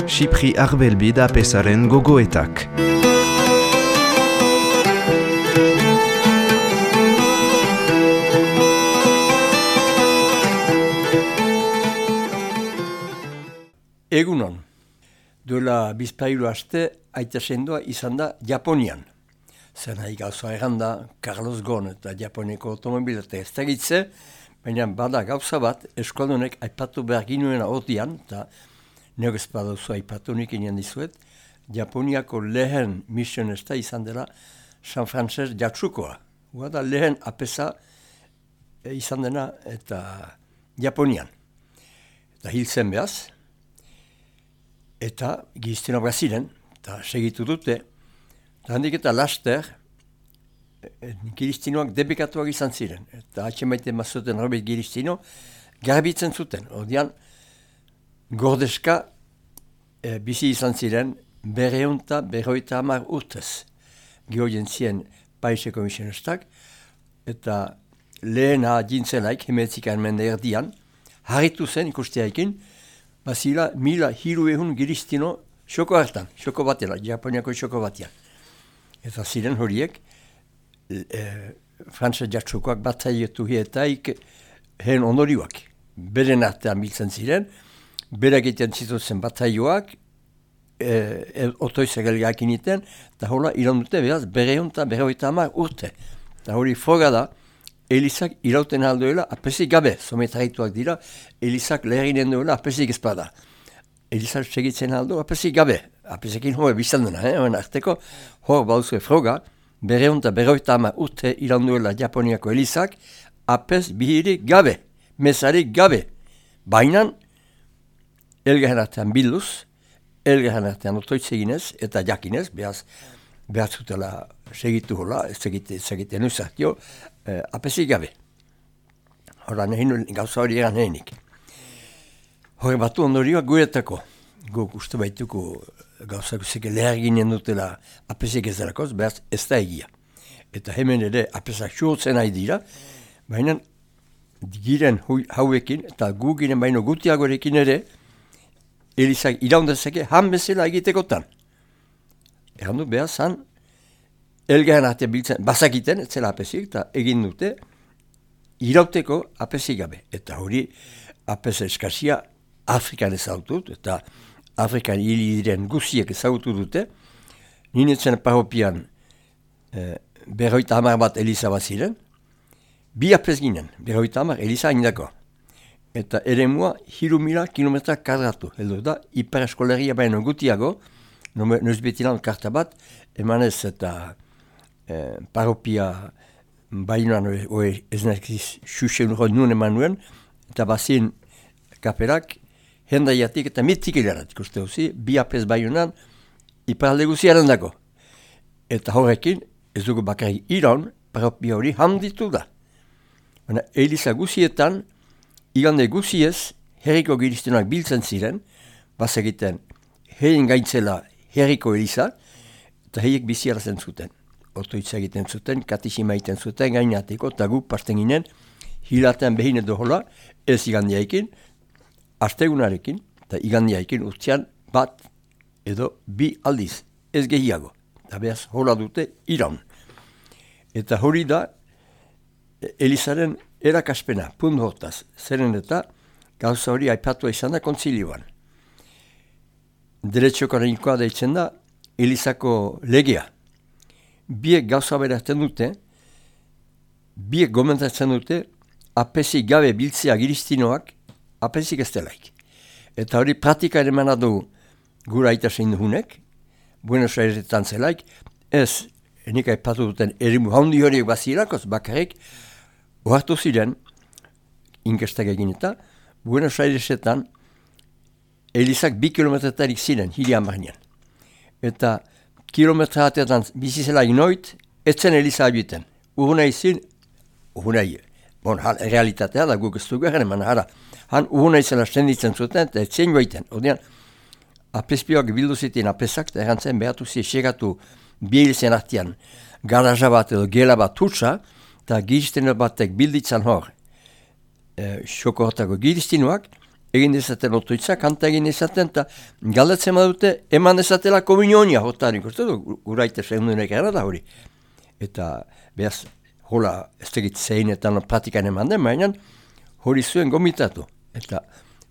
Xipri Arbelbi da pesaren gogoetak. Egunon, duela bizpahiru aste aita sendoa izan da Japonian. Zer nahi gauza erranda, Carlos Ghosn eta Japoniako automobilete ez tegitze, baina bada gauza bat eskualdunek aipatu behar ginuena hortian, eta neok ez baduzu aipatu nik inen dizuet, Japoniako lehen misionesta izan dela San Frances Jatsukoa. Hua da lehen apesa izan dena eta Japonian. Eta hil zen behaz, eta giztinoak ziren, eta segitu dute, eta handik eta laster, giztinoak debekatuak izan ziren. Eta atxemaite mazuten Robert Giztino, garbitzen zuten. Ordean, gordeska bizi izan ziren, 250 urtez. Gehoien ziren paiseko misionestak, eta lehena jintzelaik, hemetzikan mende erdian, harritu zen ikusteaekin, bazila 1.500 giztino xoko hartan, xoko batela, Japoniako xoko batean. Eta ziren horiek, Frances Jatsukoak batzaietu hietaik hen ondorioak. Beren artean biltzen ziren, berak egiten zituzen batzaioak, otoizak elgak initen, eta hola iran dute behaz, 250 urte. Eta hori froga da, Elizak irauten aldoela apesik gabe, sometarituak dira, Elizak leherinen duela apesik ezpada. Elizak segitzen aldo apesik gabe, apesekin hori bizan dena, horren arteko, hor bauzue froga, 250 urte iran duela Japoniako Elizak, apes bihirik gabe, mesarik gabe. Bainan, elgarren artean bilduz, elgarren artean otoitzeginez eta jakinez, behar zutela segitu hola, ez egiten uzatio, apesik gabe. Hora gauza hori egan henik. Hore batu ondorioak guretako. Guk uste baituko gauzak zeke lehar ginen dutela apesik ez delakoz, behaz ez da egia. Eta hemen ere apesak xurtzen nahi dira, baina giren hauekin eta gu giren baino gutiagorekin ere, Elizak iraundezake han bezala egitekotan. Egan du behaz han, elgarren artean biltzen, bazakiten, ez zela apesik, eta egin dute, irauteko apesik gabe. Eta hori, apes eskazia Afrikan ezagutut, eta Afrikan hili diren guziek ezagutu dute, ninetzen parropian 50 bat Eliza bat ziren, bi apes ginen, 50 Eliza indako. Eta ere mua, 3.000 kilometra kadratu, heldu da, hipereskoleria baino gutiago, noiz betilan karta bat, emanez eta parropia bainuan ez nahiz xuxen hori nuen eman nuen, eta bazin kaperak hendaiatik eta mitzik hilarat, ikuste hozi, bi apes bainuan iparalde guziaren dago. Eta horrekin, ez dugu bakarrik iran, parropia hori handitu da. Eliza guzietan, igande guziez, herriko giztinoak biltzen ziren, bazegiten herrin gaintzela herriko Eliza, eta heiek biziarazen zuten. Otoitza egiten zuten, katisima egiten zuten, gainateko, eta gu pasten ginen, hilatean behin edo hola, ez igandiaikin, astegunarekin, eta igandiaikin urtean bat edo bi aldiz, ez gehiago. Eta behaz hola dute iran. Eta hori da, Elizaren erakaspena, punt hortaz, zeren eta gauza hori aipatua izan da kontzilioan. Deretxokarenikoa deitzen da Elizako legea. Biek gauza berazten dute, biek gomentatzen dute, apesik gabe biltzea giztinoak, apesik ez delaik. Eta hori praktika ere manadu gura aita zein duhunek, Buenos Airesetan zelaik, ez nik aipatu duten erimu handi horiek bazirakoz bakarrik, ohartu ziren, inkestak egin eta, Buenos Airesetan Elizak 2 kilometretarik ziren, hiri amarnean. Eta kilometra hatetan bizizelaik noit, etzen Eliza abiten. Urunai zin, realitatea da guk ez dugu egaren, han urunai zela senditzen zuten, eta etzen goiten. Odean, apespioak bildu zitien apesak, eta errantzen behatu segatu bielizen artean, garaja bat edo gela bat tutsa, eta gizteno batek bilditzan hor, xoko hortako giztinoak, egin dezaten otoitza, kanta egin dezaten, eta galdatzen badute, eman dezatela komunionia, jotan ikusten du, guraite segundunek gara da hori. Eta, behaz, hola, ez tegit zeinetan pratikan eman den, baina hori zuen gomitatu. Eta,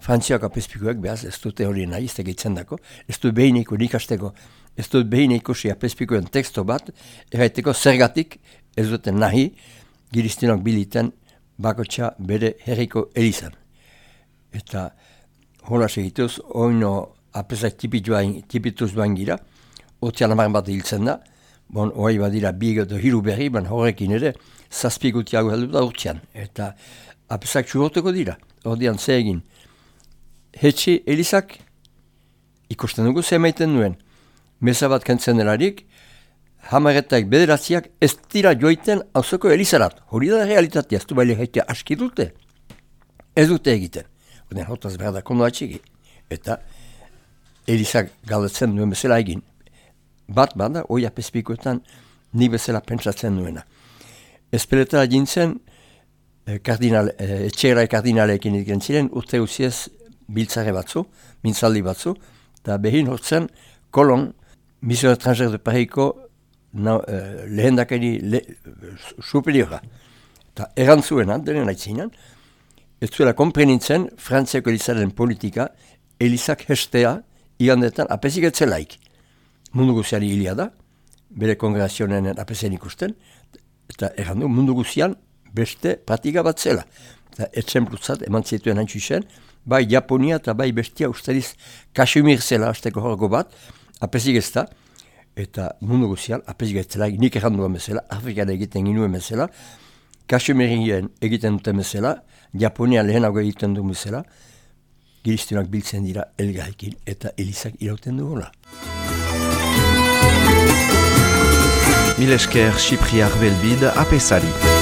Frantziak apezpikuek, behaz, ez dute hori nahi, ez tegitzen dako, ez dut behineko nikasteko, ez dut behineko apezpikuen teksto bat, erraiteko zergatik ez duten nahi, giristinok biliten bakotxa bere herriko elizan. Eta hola segituz, oino apezak tipituz duan gira, otzian amaren bat hiltzen da, hori badira bi edo hiru berri, horrekin ere, zazpigutiago heldu da urtsian. Eta apezak txuroteko dira, ordean ze egin. Hetxi elizak ikusten dugu ze maiten duen. Meza bat kentzen delarik, hamaretak bederatziak ez dira joiten auzoko elizarat. Hori da realitatea, ez du baile jaitea aski dute. Ez dute egiten. Horten hotaz behar da kondo atxiki. Eta elizak galdetzen duen bezala egin. Bat bada, hoi apezpikoetan ni bezala pentsatzen duena. Ezpeletara jintzen, etxegra kardinaleekin egiten ziren, urte usiez biltzare batzu, mintzaldi batzu, eta behin hortzen kolon, Mission étrangère de Parisiko lehendakari superiora. Eta erantzuena, denen aitzinan, ez zuela komprenintzen Frantziako elizaren politika elizak hestea igandetan apezik etzelaik. Mundu guziari hilia da, bere kongregazionen apezen ikusten, eta errandu mundu guzian beste pratika bat zela. Eta etxemplutzat eman zituen antxusen, bai Japonia eta bai bestia ustariz Kashmir zela azteko horrego bat, apezik ez da, eta mundu guzian, apezik ez zela, nik erranduan bezala, Afrikan egiten ginuen bezala, Kashmirien egiten duten bezala, Japonia lehenago egiten duen bezala, giristunak biltzen dira elgarrekin eta elizak irauten dugula. Mil esker Chypriar Belbide apesari.